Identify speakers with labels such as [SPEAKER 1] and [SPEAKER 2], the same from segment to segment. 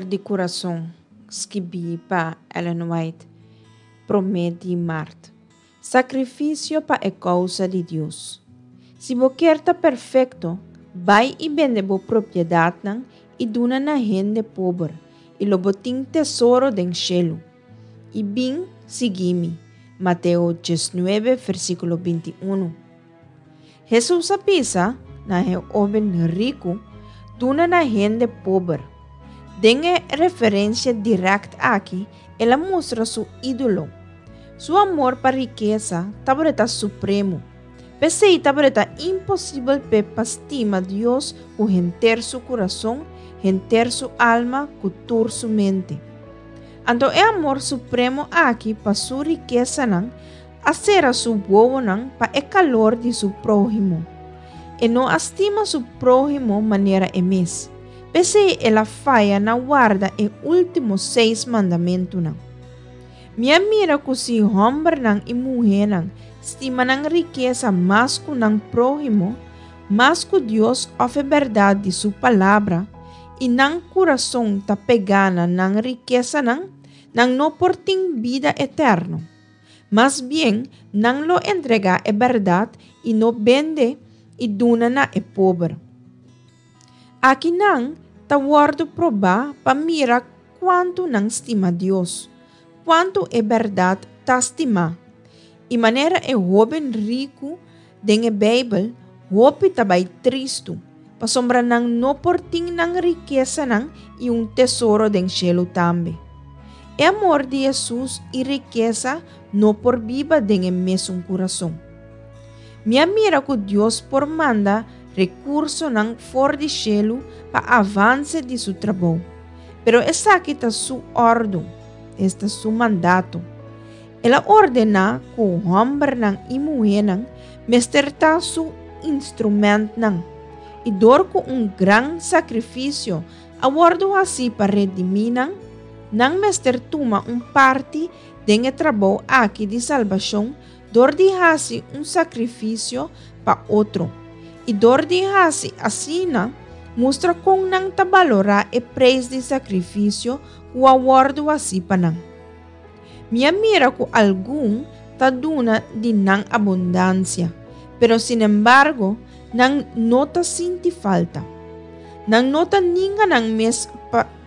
[SPEAKER 1] di Kurason, skibí pa Ellen White, promé di mart. Sakrifisio pa e kousa di Dios. Si bo kier ta perfekto, bai i bende bo propiedatnan i duna na hende pober, i lo bo tin tesoro den shelu. I bin, sigui mi. Mateo 19, versíkulo 21. Hesus a bisa na e hóben riku, Duna na hende pober. Den e referensia dirèkt aki, el a mustra su ídolo. Su amor pa rikesa tabata supremo. P'esei tabata imposibel p'e pa stima Dios ku henter su kurason, henter su alma, ku tur su mente. Anto e amor supremo aki pa su rikesanan a sera su wowonan pa e kalor di su próhimo. E no a stima su próhimo manera e mes. P'esei el a faya na warda e último seis mandamentunan. Mi a mira ku si hòmbernan i muhénan stima nan rikesa mas ku nan próhimo, mas ku Dios òf e bèrdat di su Palabra, i nan kurason ta pegá na nan rikesanan, nan no por tin bida eterno. Mas bien, nan lo entregá e bèrdat i no bende i duna na e pober. Aki nan ta wòrdu probá pa mira kuantu nan stima Dios, kuantu e bèrdat ta stimá. I manera e hóben riku den e Beibel, hopi ta bai tristu, pasobra nan no por tin nan rikesanan i un tesoro den shelu tambe. E amor di Hesus i rikesa no por biba den e mesun kurason. Mi a mira ku Dios por manda rekursonan for di shelu pa avanse di su trabou, pero esaki ta su òrdu, esta su mandato. El a ordená ku hòmbernan i muhénan mester ta su instrumentnan, i dor ku un gran sakrifisio a wòrdu hasí pa redimí nan, nan mester tuma un parti den e trabou aki di salbashon dor di hasi un sakrifisio pa otro, i dor di hasi asina mustra kon nan ta balorá e preis di sakrifisio ku a wòrdu hasí pa nan. Mi a mira ku algun ta duna di nan abundansia, pero sinembargo nan no ta sinti falta. Nan no ta ninga nan mes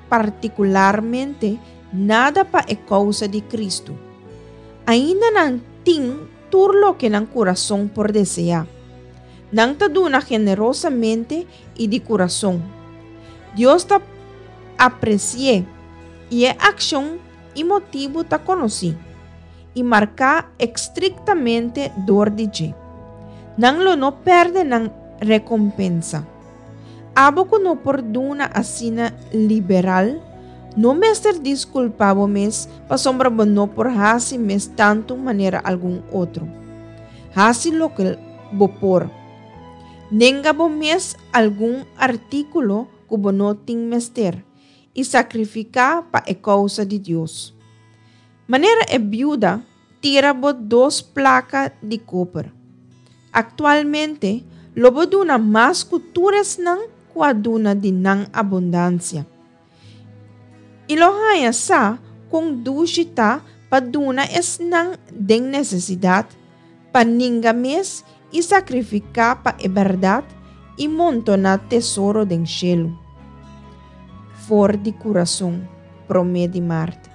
[SPEAKER 1] partikularmente nada pa e kousa di Kristu. Ainda nan tin tur loke nan kurason por deseá. Nan ta duna generosamente i di kurason. Dios ta apresi'é i e akshon i motibu ta konosí i marká estriktamente dor di dje. Nan lo no pèrdè nan rekompensa. Abo ku no por duna asina liberal, no mester diskulpá bo mes pasobra bo no por hasi mes tantu manera algun otro. Hasi loke bo por. Nenga bo mes algun artíkulo ku bo no tin mester i sakrifiká pa e kousa di Dios. Manera e biuda tira bo dos plaka di koper. Aktualmente lo bo duna mas ku tur esnan ku a duna di nan abundansia. I lo haña sa kon dushi ta pa duna esnan den nesesidat, pa ninga mes i sakrifiká pa e bèrdat i montoná tesoro den shelu. For di kurason, promé di mart.